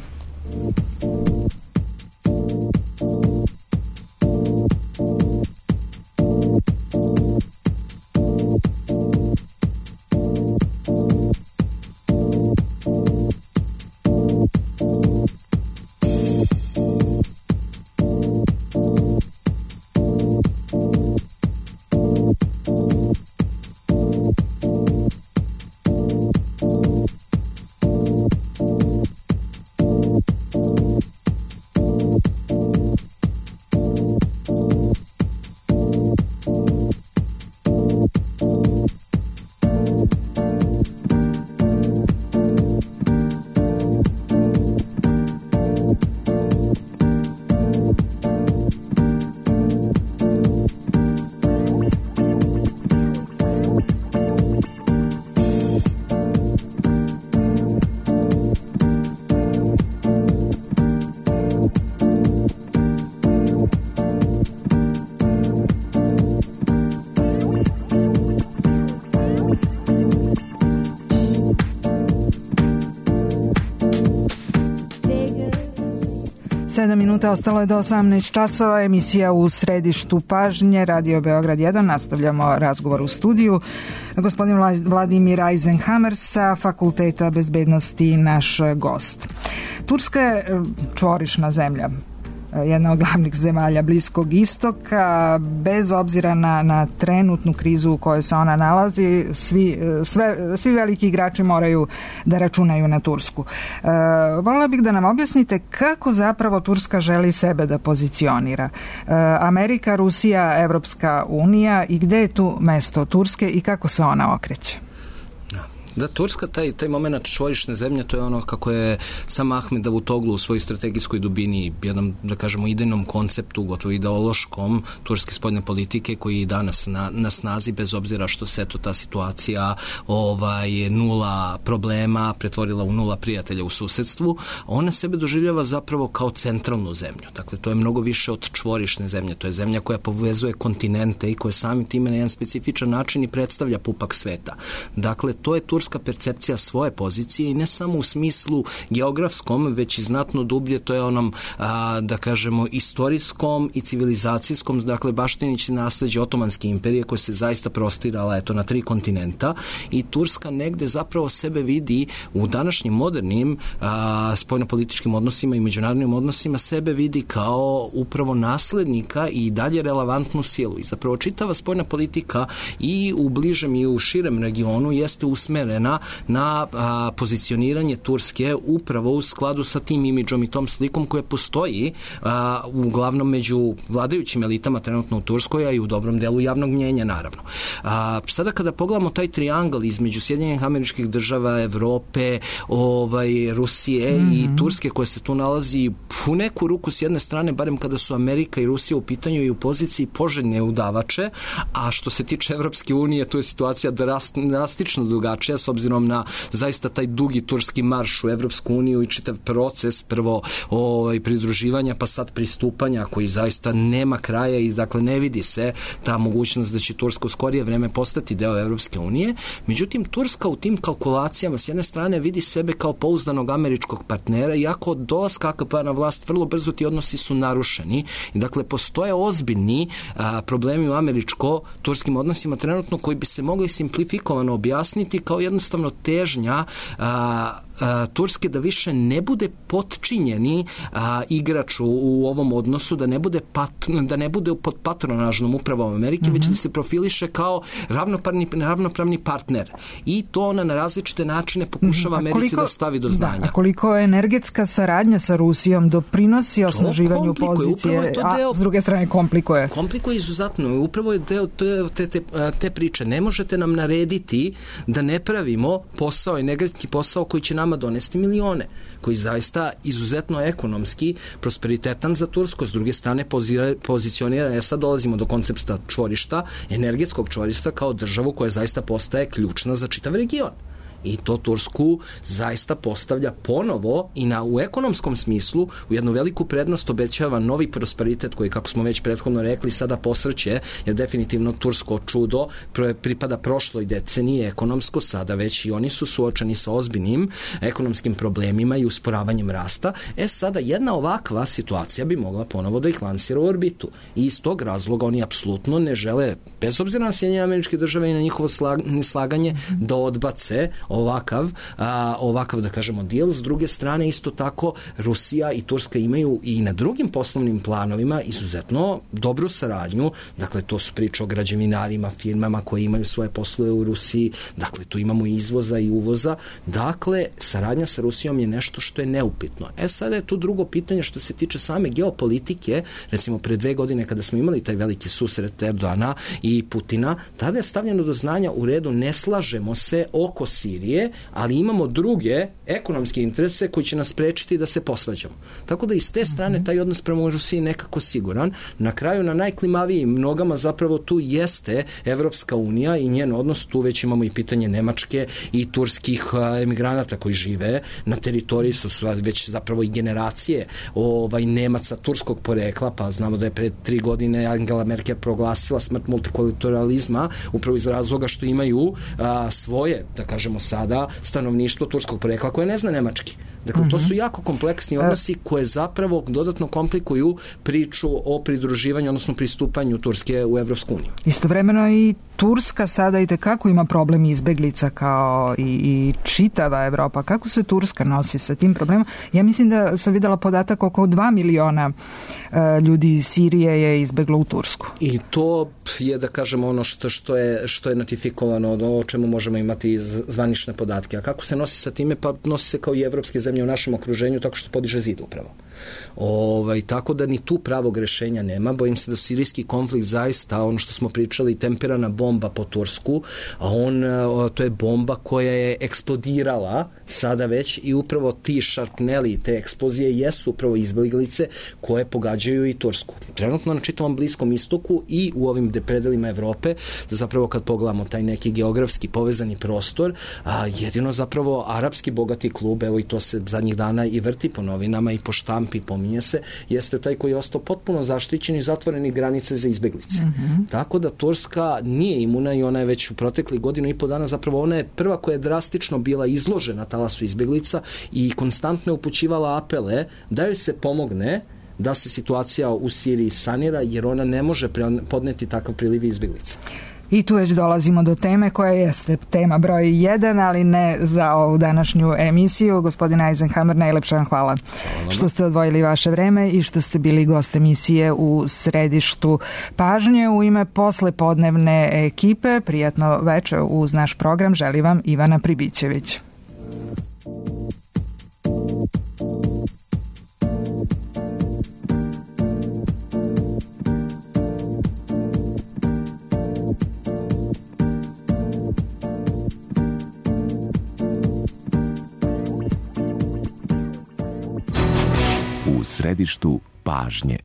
Minuta ostalo je do 18 časova, emisija U središtu pažnje, Radio Beograd 1, nastavljamo razgovor u studiju. Gospodin Vladimir Eisenhammer sa Fakulteta bezbednosti, naš gost. Turska je čvorišna zemlja, jedna od glavnih zemalja Bliskog istoka, bez obzira na trenutnu krizu u kojoj se ona nalazi, svi veliki igrači moraju da računaju na Tursku. Voljela bih da nam objasnite kako zapravo Turska želi sebe da pozicionira. Amerika, Rusija, Evropska unija, i gde je tu mesto Turske i kako se ona okreće? Da, Turska, taj moment čvorišne zemlje, to je ono kako je sam Ahmed Davutoglu u svojoj strategijskoj dubini, jednom, da kažemo, idejnom konceptu, gotovo ideološkom turske spoljne politike, koji je danas na snazi, bez obzira što se ta situacija nula problema pretvorila u nula prijatelja u susedstvu. Ona sebe doživljava zapravo kao centralnu zemlju. Dakle, to je mnogo više od čvorišne zemlje. To je zemlja koja povezuje kontinente i koja samim time na jedan specifičan način i predstavlja pupak sveta. Dakle, to je Turska turska percepcija svoje pozicije i ne samo u smislu geografskom, već i znatno dublje, to je onom, da kažemo, istorijskom i civilizacijskom, dakle baštinići nasleđe Otomanske imperije koja se zaista prostirala na 3 kontinenta i Turska negde zapravo sebe vidi u današnjim modernim spoljnopolitičkim odnosima i međunarodnim odnosima sebe vidi kao upravo naslednika i dalje relevantnu silu. I zapravo čitava spoljna politika i u bližem i u širem regionu jeste usmerena na pozicioniranje Turske upravo u skladu sa tim imidžom i tom slikom koja postoji uglavnom među vladajućim elitama trenutno u Turskoj, a i u dobrom delu javnog mnjenja, naravno. Sada kada pogledamo taj triangl između Sjedinjenih Američkih Država, Evrope, Rusije i Turske koja se tu nalazi u neku ruku s jedne strane, barem kada su Amerika i Rusija u pitanju i u poziciji poželjne udavače, a što se tiče Evropske unije, tu je situacija drastično drugačija s obzirom na zaista taj dugi turski marš u Evropsku uniju i čitav proces prvo pridruživanja pa sad pristupanja koji zaista nema kraja i dakle ne vidi se ta mogućnost da će Turska u skorije vreme postati deo Evropske unije. Međutim, Turska u tim kalkulacijama s jedne strane vidi sebe kao pouzdanog američkog partnera, iako od dolaska AKP na vlast vrlo brzo ti odnosi su narušeni i dakle postoje ozbiljni problemi u američko-turskim odnosima trenutno koji bi se mogli simplifikovano objasniti kao jednostavno težnja Turske da više ne bude potčinjeni igrač u ovom odnosu, da ne bude pod patronažnom upravom Amerike, već da se profiliše kao ravnopravni partner. I to ona na različite načine pokušava Americi da stavi do znanja. Da, a koliko koliko saradnja sa Rusijom doprinosi osnaživanju pozicije, a s druge strane komplikuje? Komplikuje izuzetno. Upravo je deo te priče. Ne možete nam narediti da ne pravimo posao, energetski posao koji će nama donesti milione, koji zaista izuzetno ekonomski prosperitetan za Tursku, s druge strane pozicionira, sad dolazimo do koncepta čvorišta, energetskog čvorišta kao državu koja zaista postaje ključna za čitav region. I to Tursku zaista postavlja ponovo i u ekonomskom smislu u jednu veliku prednost, obećava novi prosperitet koji, kako smo već prethodno rekli, sada posrće, jer definitivno tursko čudo pripada prošloj deceniji ekonomsko, sada već i oni su suočeni sa ozbiljnim ekonomskim problemima i usporavanjem rasta. Sada jedna ovakva situacija bi mogla ponovo da ih lansira u orbitu. I iz tog razloga oni apsolutno ne žele, bez obzira na Sjedinjene Američke Države i na njihovo neslaganje, da odbace ovakav da kažemo deal. S druge strane isto tako Rusija i Turska imaju i na drugim poslovnim planovima izuzetno dobru saradnju, dakle to su priče o građevinarima, firmama koje imaju svoje poslove u Rusiji, dakle tu imamo i izvoza i uvoza, dakle saradnja sa Rusijom je nešto što je neupitno. Sada je tu drugo pitanje što se tiče same geopolitike, recimo pre 2 godine kada smo imali taj veliki susret Erdogana i Putina, tada je stavljeno do znanja u redu, ne slažemo se oko Sirije, ali imamo druge ekonomske interese koji će nas sprečiti da se posvađamo. Tako da iz te strane taj odnos prema Rusiji nekako siguran. Na kraju, na najklimavijim nogama zapravo tu jeste Evropska unija i njen odnos, tu već imamo i pitanje Nemačke i turskih emigranata koji žive na teritoriji, su već zapravo i generacije Nemaca turskog porekla, pa znamo da je pre 3 godine Angela Merkel proglasila smrt multikulturalizma upravo iz razloga što imaju svoje, da kažemo sada, stanovništvo turskog porekla koje ne zna nemački. Dakle, to su jako kompleksni odnosi koje zapravo dodatno komplikuju priču o pridruživanju, odnosno pristupanju Turske u Evropsku uniju. Istovremeno i Turska sada i tekako ima problem izbeglica kao i čitava Evropa. Kako se Turska nosi sa tim problemom? Ja mislim da sam videla podatak oko 2 miliona ljudi iz Sirije je izbeglo u Tursku. I to je, da kažemo, ono što je notifikovano, o čemu možemo imati zvanične podatke. A kako se nosi sa time? Pa nosi se kao i evropske zemlje u našem okruženju, tako što podiže zid upravo. Tako da ni tu pravog rešenja nema. Bojim se da sirijski konflikt zaista, ono što smo pričali, temperana bomba po Tursku, a to je bomba koja je eksplodirala sada već i upravo ti šarpneli, te eksplozije jesu upravo izbeglice koje pogađaju i Tursku. Trenutno na čitavom Bliskom istoku i u ovim predelima Evrope, zapravo kad pogledamo taj neki geografski povezani prostor, jedino zapravo arapski bogati klub, evo i to se zadnjih dana i vrti po novinama i po rampi, pominje se, jeste taj koji je ostao potpuno zaštićen i zatvoreni granice za izbeglice. Tako da Turska nije imuna i ona je već u proteklih godinu i po dana, zapravo ona je prva koja je drastično bila izložena talasu izbeglica i konstantno je upućivala apele da joj se pomogne da se situacija u Siriji sanira, jer ona ne može podneti takav priliv izbeglica. I tu već dolazimo do teme koja jeste tema broj 1, ali ne za ovu današnju emisiju. Gospodine Eisenhammer, najlepša vam hvala što ste odvojili vaše vreme i što ste bili gost emisije u središtu pažnje. U ime poslepodnevne ekipe, prijatno večer uz naš program želi vam Ivana Pribićević. U središtu pažnje.